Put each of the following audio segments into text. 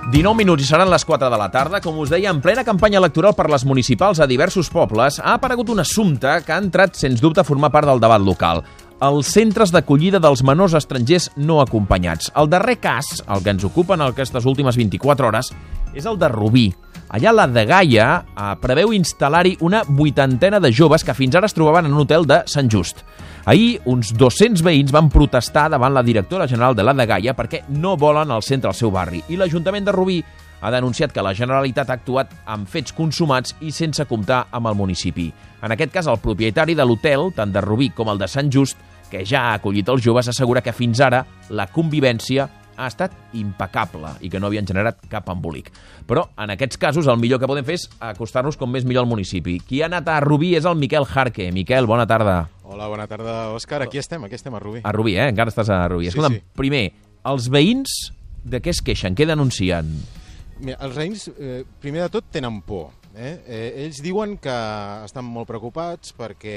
19 minuts i seran les 4 de la tarda. Com us deia, en plena campanya electoral per les municipals a diversos pobles, ha aparegut un assumpte que ha entrat, sens dubte, a formar part del debat local. Els centres d'acollida dels menors estrangers no acompanyats. El darrer cas, el que ens ocupa en aquestes últimes 24 hores, és el de Rubí. Allà la Dgaia preveu instal·lar-hi una 80ena de joves que fins ara es trobaven en un hotel de Sant Just. Ahir, uns 200 veïns van protestar davant la directora general de la Dgaia perquè no volen al centre al seu barri. I l'Ajuntament de Rubí ha denunciat que la Generalitat ha actuat amb fets consumats i sense comptar amb el municipi. En aquest cas, el propietari de l'hotel, tant de Rubí com el de Sant Just, que ja ha acollit els joves, assegura que fins ara la convivència ha estat impecable i que no havien generat cap embolic. Però en aquests casos el millor que podem fer és acostar-nos com més millor al municipi. Qui ha anat a Rubí és el Miquel Jarque. Miquel, bona tarda. Hola, bona tarda, Òscar. Aquí estem a Rubí. A Rubí, Encara estàs a Rubí. Sí, Escolta'm, sí. Primer, els veïns de què es queixen? Què denuncien? Mira, els veïns, primer de tot, tenen por. Ells diuen que estan molt preocupats perquè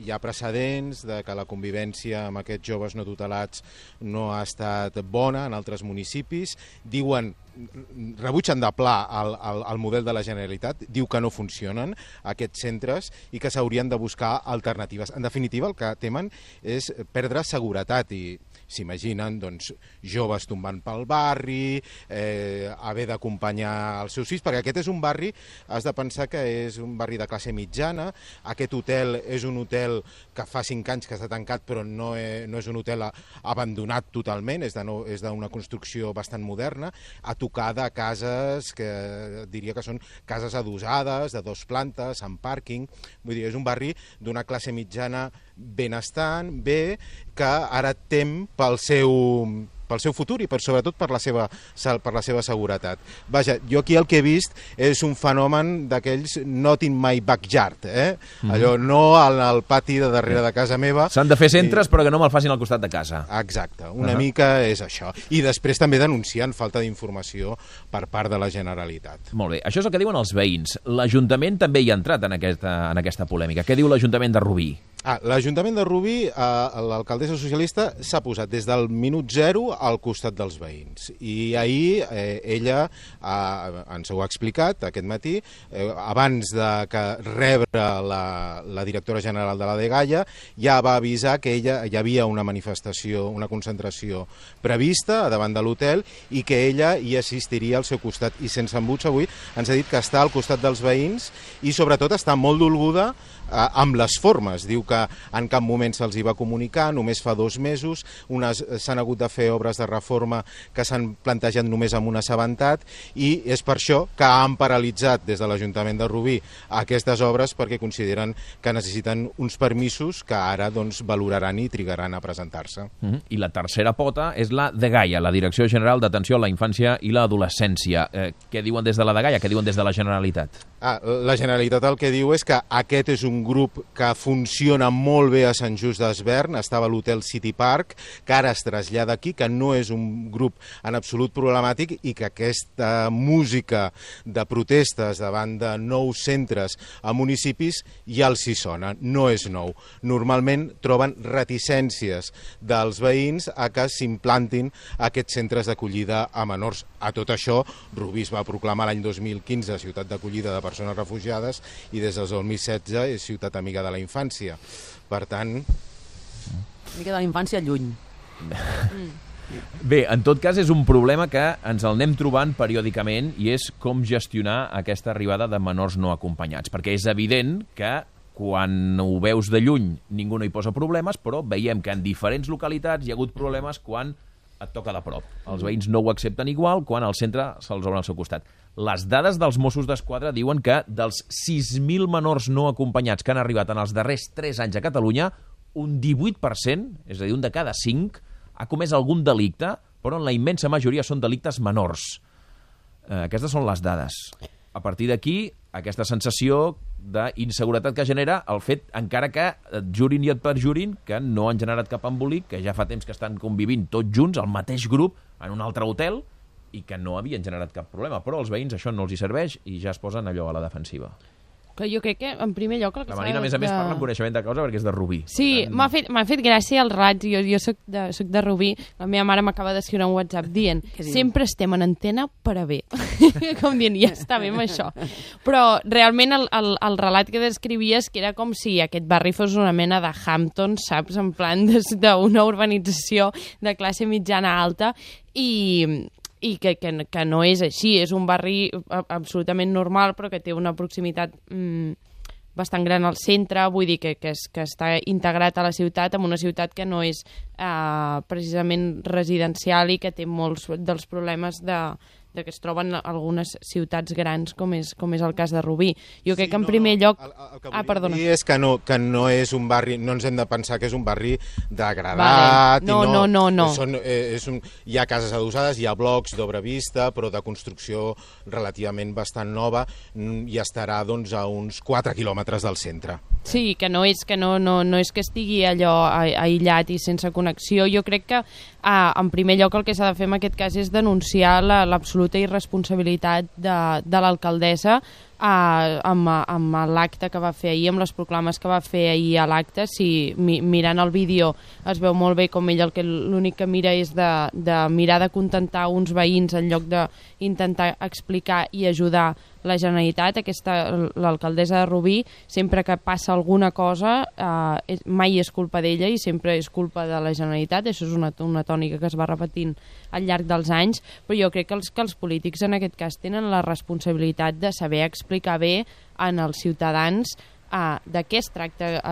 hi ha precedents de que la convivència amb aquests joves no tutelats no ha estat bona en altres municipis. Diuen, rebutgen de pla el model de la Generalitat, diu que no funcionen aquests centres i que s'haurien de buscar alternatives. En definitiva, el que temen és perdre seguretat i s'imaginen doncs, joves tombant pel barri, haver d'acompanyar els seus fills, perquè aquest és un barri, has de pensar que és un barri de classe mitjana, aquest hotel és un hotel que fa 5 anys que està tancat, però no és un hotel abandonat totalment, és d'una construcció bastant moderna, a tocar de cases que diria que són cases adossades, de 2 plantes, amb pàrquing, vull dir, és un barri d'una classe mitjana benestant, bé, que ara tem pel seu futur i sobretot per la seva seguretat. Vaja, jo aquí el que he vist és un fenomen d'aquells not in my backyard, allò no al pati de darrere de casa meva. S'han de fer centres però que no me'l facin al costat de casa. Exacte, una mica és això. I després també denuncien falta d'informació per part de la Generalitat. Molt bé, això és el que diuen els veïns. L'Ajuntament també hi ha entrat en aquesta polèmica. Què diu l'Ajuntament de Rubí? L'Ajuntament de Rubí, l'alcaldessa socialista, s'ha posat des del minut 0 al costat dels veïns. I ahir ella ens ho ha explicat aquest matí, abans de rebre la directora general de la Dgaia, ja va avisar que hi havia una manifestació, una concentració prevista davant de l'hotel i que ella hi assistiria al seu costat. I sense embuts avui ens ha dit que està al costat dels veïns i sobretot està molt dolguda amb les formes. Diu que en cap moment se'ls hi va comunicar, només fa 2 mesos, s'han hagut de fer obres de reforma que s'han plantejat només amb un assabentat i és per això que han paralitzat des de l'Ajuntament de Rubí aquestes obres perquè consideren que necessiten uns permisos que ara valoraran i trigaran a presentar-se. I la tercera pota és la Dgaia, la Direcció General d'Atenció a la Infància i l'Adolescència. Què diuen des de la Dgaia? Què diuen des de la Generalitat? La Generalitat el que diu és que aquest és un grup que funciona molt bé a Sant Just d'Esvern, estava a l'hotel City Park, que ara es trasllada aquí, que no és un grup en absolut problemàtic i que aquesta música de protestes davant de nous centres a municipis ja els hi sona, no és nou. Normalment troben reticències dels veïns a que s'implantin aquests centres d'acollida a menors. A tot això, Rubí es va proclamar l'any 2015 ciutat d'acollida de persones refugiades i des del 2016 és ciutat amiga de la infància. Per tant... Mica de la infància lluny. Bé, en tot cas és un problema que ens el anem trobant periòdicament i és com gestionar aquesta arribada de menors no acompanyats, perquè és evident que quan ho veus de lluny ningú no hi posa problemes, però veiem que en diferents localitats hi ha hagut problemes quan et toca de prop. Els veïns no ho accepten igual quan al centre se'ls obre al seu costat. Les dades dels Mossos d'Esquadra diuen que dels 6.000 menors no acompanyats que han arribat en els darrers 3 anys a Catalunya, un 18%, és a dir, un de cada 5, ha comès algun delicte, però en la immensa majoria són delictes menors. Aquestes són les dades. A partir d'aquí, aquesta sensació d'inseguretat que genera el fet, encara que et jurin i et perjurin, que no han generat cap embolic, que ja fa temps que estan convivint tots junts, al mateix grup, en un altre hotel, i que no havien generat cap problema. Però als veïns això no els hi serveix i ja es posen allò a la defensiva. Jo crec que, en primer lloc... La Marina, a més, parla amb coneixement de causa perquè és de Rubí. Sí, m'ha fet gràcia el raig. Jo soc de Rubí. La meva mare m'acaba d'escriure un WhatsApp dient sempre estem en antena per a bé. Com dient, ja està bé amb això. Però realment el relat que descrivies que era com si aquest barri fos una mena de Hampton, saps? En plan d'una urbanització de classe mitjana alta i que no és així. És un barri absolutament normal, però que té una proximitat bastant gran al centre, vull dir que està integrat a la ciutat, en una ciutat que no és precisament residencial i que té molts dels problemes que es troben algunes ciutats grans, com és el cas de Rubí. Jo crec que en primer lloc... El que volia dir és que no és un barri, no ens hem de pensar que és un barri degradat. Vale. No. Hi ha cases adossades, hi ha blocs d'obra vista, però de construcció relativament bastant nova, i estarà doncs, a uns 4 quilòmetres del centre. Sí, que no és que estigui allò aïllat i sense connexió. Jo crec que en primer lloc el que s'ha de fer en aquest cas és denunciar l'absoluta irresponsabilitat de l'alcaldessa amb l'acte que va fer ahir, amb les proclames que va fer ahir a l'acte. Si mirant el vídeo es veu molt bé com ell l'únic que mira és de mirar de contentar uns veïns en lloc d'intentar explicar i ajudar la Generalitat. L'alcaldessa de Rubí, sempre que passa alguna cosa, mai és culpa d'ella i sempre és culpa de la Generalitat. Això és una tònica que es va repetint al llarg dels anys, però jo crec que els polítics en aquest cas tenen la responsabilitat de saber explicar bé als ciutadans de què es tracta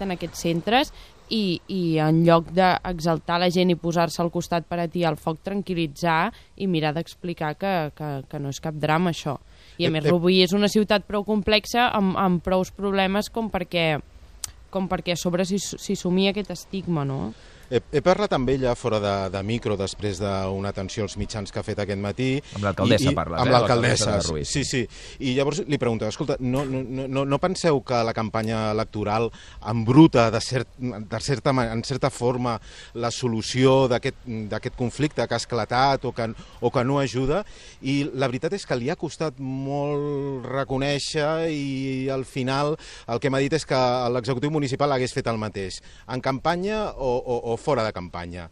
en aquests centres i en lloc d'exaltar la gent i posar-se al costat per atiar el foc, tranquil·litzar i mirar d'explicar que no és cap drama això. I a més Rubí és una ciutat prou complexa amb prous problemes com perquè a sobre s'hi sumia aquest estigma, no? He parlat amb ella fora de micro després d'una atenció als mitjans que ha fet aquest matí. Amb l'alcaldessa parles, amb l'alcaldessa, sí. I llavors li pregunto, escolta, no penseu que la campanya electoral embruta en certa forma la solució d'aquest conflicte que ha esclatat o que no ajuda? I la veritat és que li ha costat molt reconèixer i al final el que m'ha dit és que l'executiu municipal hagués fet el mateix, en campanya o fora de campanya,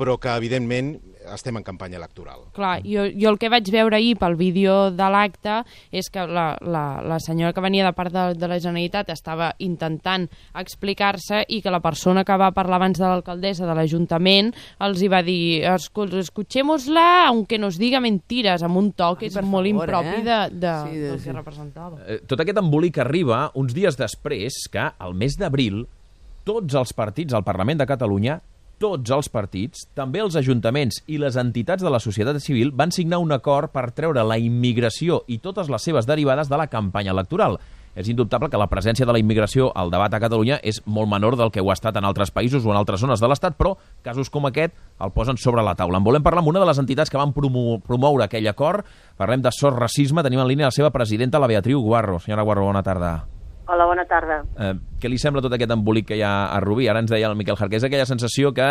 però que evidentment estem en campanya electoral. Clar, jo el que vaig veure ahir pel vídeo de l'acte és que la senyora que venia de part de la Generalitat estava intentant explicar-se i que la persona que va parlar abans de l'alcaldessa de l'Ajuntament els hi va dir escuchémosla aunque nos diga mentiras, amb un to que és molt impropi del que representava. Tot aquest embolic arriba uns dies després que, al mes d'abril, tots els partits al Parlament de Catalunya, tots els partits, també els ajuntaments i les entitats de la societat civil van signar un acord per treure la immigració i totes les seves derivades de la campanya electoral. És indubtable que la presència de la immigració al debat a Catalunya és molt menor del que ho ha estat en altres països o en altres zones de l'Estat, però casos com aquest el posen sobre la taula. En volem parlar amb una de les entitats que van promoure aquell acord. Parlem de Sos Racisme. Tenim en línia la seva presidenta, la Beatriu Guarro. Senyora Guarro, bona tarda. Hola, bona tarda. Què li sembla tot aquest embolic que hi ha a Rubí? Ara ens deia el Miquel Jarqués aquella sensació que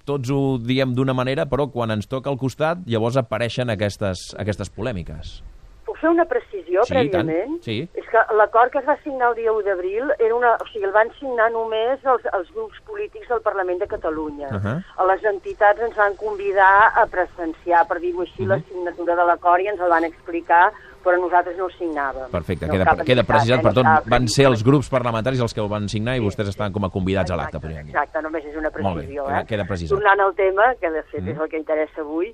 tots ho diem d'una manera, però quan ens toca al costat llavors apareixen aquestes polèmiques. Puc fer una precisió prèviament? Sí. És que l'acord que es va signar el dia 1 d'abril el van signar només els grups polítics del Parlament de Catalunya. A les entitats ens van convidar a presenciar, per dir-ho així, la signatura de l'acord i ens el van explicar, però nosaltres no ho signàvem. Perfecte, queda precisat, per tot van ser els grups parlamentaris els que ho van signar i vostès estaven com a convidats a l'acte. Exacte, només és una precisió. Molt bé, queda precisat. Tornant al tema, que de fet és el que interessa avui,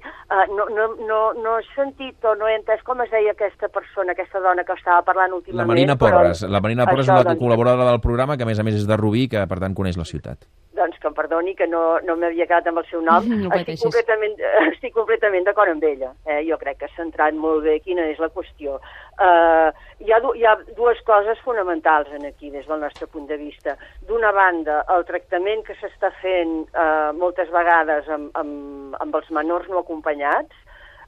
no he sentit o no he entès com es deia aquesta persona, aquesta dona que estava parlant últimament. La Marina Porres. La Marina Porres és una col·laboradora del programa que a més és de Rubí, que per tant coneix la ciutat. Doncs que em perdoni que no m'havia quedat amb el seu nom. Estic completament d'acord amb ella. Jo crec que ha centrat molt bé quina és la qüestió. Hi ha dues coses fonamentals aquí des del nostre punt de vista. D'una banda, el tractament que s'està fent moltes vegades amb els menors no acompanyats.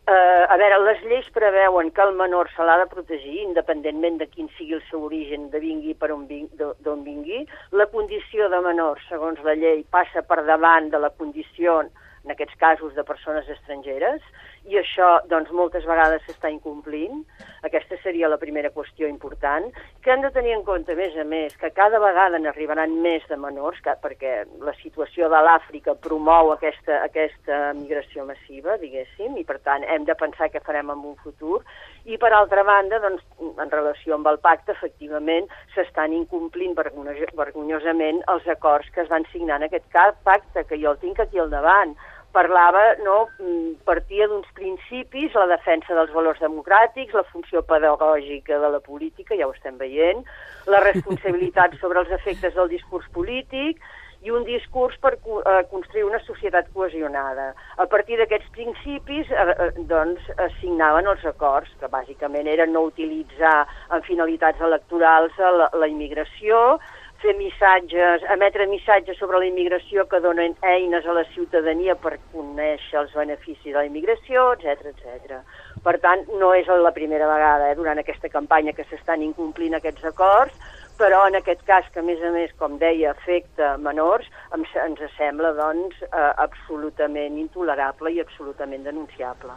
A veure, les lleis preveuen que el menor se l'ha de protegir, independentment de quin sigui el seu origen, de vingui d'on vingui. La condició de menor, segons la llei, passa per davant de la condició en aquests casos de persones estrangeres, i això doncs, moltes vegades s'està incomplint. Aquesta seria la primera qüestió important, que hem de tenir en compte, a més, que cada vegada n'arribaran més de menors, perquè la situació de l'Àfrica promou aquesta migració massiva, diguéssim, i per tant hem de pensar què farem en un futur. I per altra banda, doncs, en relació amb el pacte, efectivament, s'estan incomplint vergonyosament els acords que es van signar en aquest pacte, que jo el tinc aquí al davant. Parlava, partia d'uns principis, la defensa dels valors democràtics, la funció pedagògica de la política, ja ho estem veient, la responsabilitat sobre els efectes del discurs polític i un discurs per construir una societat cohesionada. A partir d'aquests principis, doncs, es signaven els acords, que bàsicament eren no utilitzar en finalitats electorals la immigració, fer missatges, emetre missatges sobre la immigració que donen eines a la ciutadania per conèixer els beneficis de la immigració, etc. Per tant, no és la primera vegada durant aquesta campanya que s'estan incomplint aquests acords, però en aquest cas, que a més, com deia, afecta menors, ens sembla, doncs, absolutament intolerable i absolutament denunciable.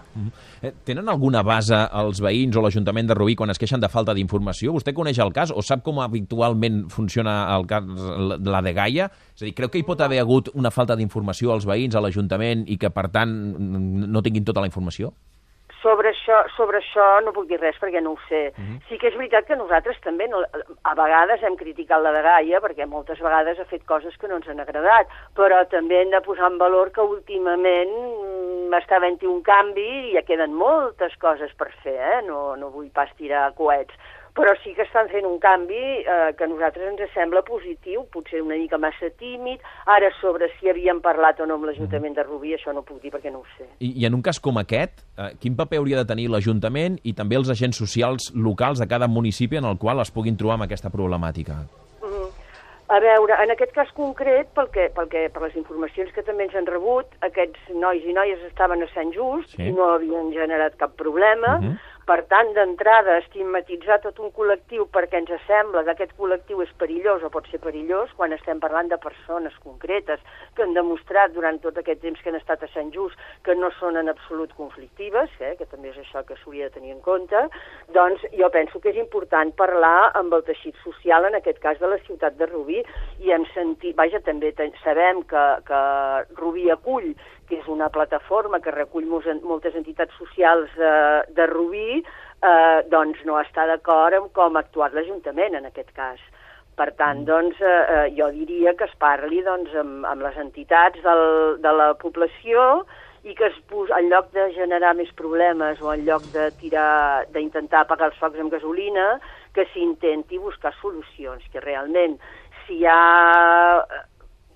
Tenen alguna base els veïns o l'Ajuntament de Rubí quan es queixen de falta d'informació? Vostè coneix el cas o sap com habitualment funciona el cas, la de Gaia? És a dir, creu que hi pot haver hagut una falta d'informació als veïns, a l'Ajuntament, i que, per tant, no tinguin tota la informació? Sobre això no puc dir res perquè no ho sé. Sí que és veritat que nosaltres també a vegades hem criticat la de Gaia perquè moltes vegades ha fet coses que no ens han agradat, però també hem de posar en valor que últimament està havent-hi un canvi i ja queden moltes coses per fer, no vull pas tirar coets. Però sí que estan fent un canvi que a nosaltres ens sembla positiu, potser una mica massa tímid. Ara, sobre si havíem parlat o no amb l'Ajuntament de Rubí, això no puc dir perquè no ho sé. I en un cas com aquest, quin paper hauria de tenir l'Ajuntament i també els agents socials locals de cada municipi en el qual es puguin trobar amb aquesta problemàtica? A veure, en aquest cas concret, per les informacions que també ens han rebut, aquests nois i noies estaven a Sant Just i no havien generat cap problema. Per tant, d'entrada, estigmatitzar tot un col·lectiu perquè ens sembla que aquest col·lectiu és perillós o pot ser perillós quan estem parlant de persones concretes que han demostrat durant tot aquest temps que han estat a Sant Just que no són en absolut conflictives, que també és això que s'hauria de tenir en compte, doncs jo penso que és important parlar amb el teixit social, en aquest cas de la ciutat de Rubí, i hem sentit, també sabem que Rubí acull, que és una plataforma que recull moltes entitats socials de Rubí, doncs no està d'acord amb com ha actuat l'Ajuntament en aquest cas. Per tant, doncs, jo diria que es parli amb les entitats de la població i que en lloc de generar més problemes o en lloc d'intentar apagar els focs amb gasolina, que s'intenti buscar solucions, que realment si hi ha...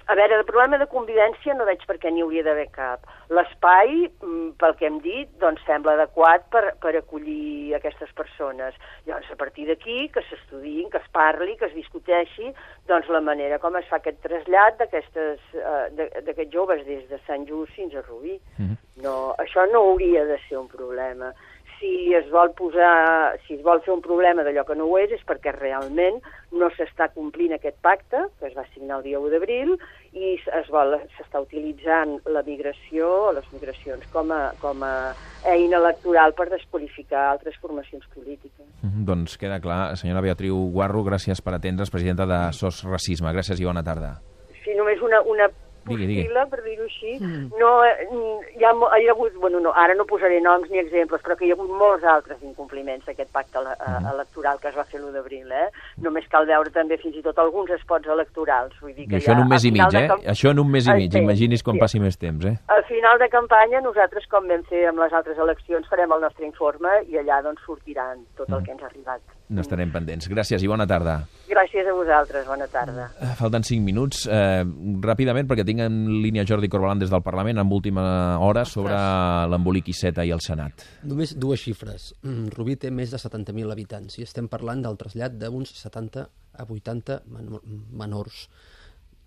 A veure, el problema de convivència no veig per què n'hi hauria d'haver cap. L'espai, pel que hem dit, doncs sembla adequat per acollir aquestes persones. Llavors, a partir d'aquí, que s'estudiïn, que es parli, que es discuteixi, doncs la manera com es fa aquest trasllat d'aquests joves des de Sant Just fins a Rubí. No, això no hauria de ser un problema. Si es vol fer un problema d'allò que no ho és perquè realment no s'està complint aquest pacte, que es va signar el dia 1 d'abril, i s'està utilitzant la migració o les migracions com a eina electoral per desqualificar altres formacions polítiques. Doncs queda clar. Senyora Beatriu Guarro, gràcies per atendre's, presidenta de SOS Racisme. Gràcies i bona tarda. Sí, només una possible, per dir-ho així. No, hi ha hagut, ara no posaré noms ni exemples, però que hi ha hagut molts altres incompliments d'aquest pacte electoral que es va fer l'1 d'abril. Només cal veure també fins i tot alguns spots electorals. Vull dir que això en un mes i mig, Això en un mes i mig, imagini's quan passi més temps, Al final de campanya, nosaltres, com vam fer amb les altres eleccions, farem el nostre informe i allà doncs sortiran tot el que ens ha arribat. N'estarem pendents. Gràcies i bona tarda. Gràcies a vosaltres, bona tarda. Falten 5 minuts. Ràpidament, perquè tinc en línia Jordi Corbalan des del Parlament amb última hora sobre l'embolic Iceta i el Senat. Només 2 xifres. Rubí té més de 70.000 habitants i estem parlant del trasllat d'uns 70 a 80 menors.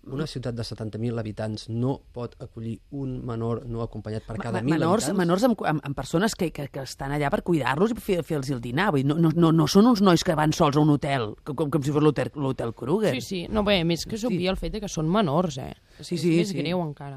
Una ciutat de 70.000 habitants no pot acollir un menor no acompanyat per cada 1.000 habitants? Menors amb persones que estan allà per cuidar-los i fer-los el dinar. Vull dir, no són uns nois que van sols a un hotel, com si fos l'hotel Kruger. Sí. No, bé, més que s'obvia el fet que són menors, Sí. És més greu encara.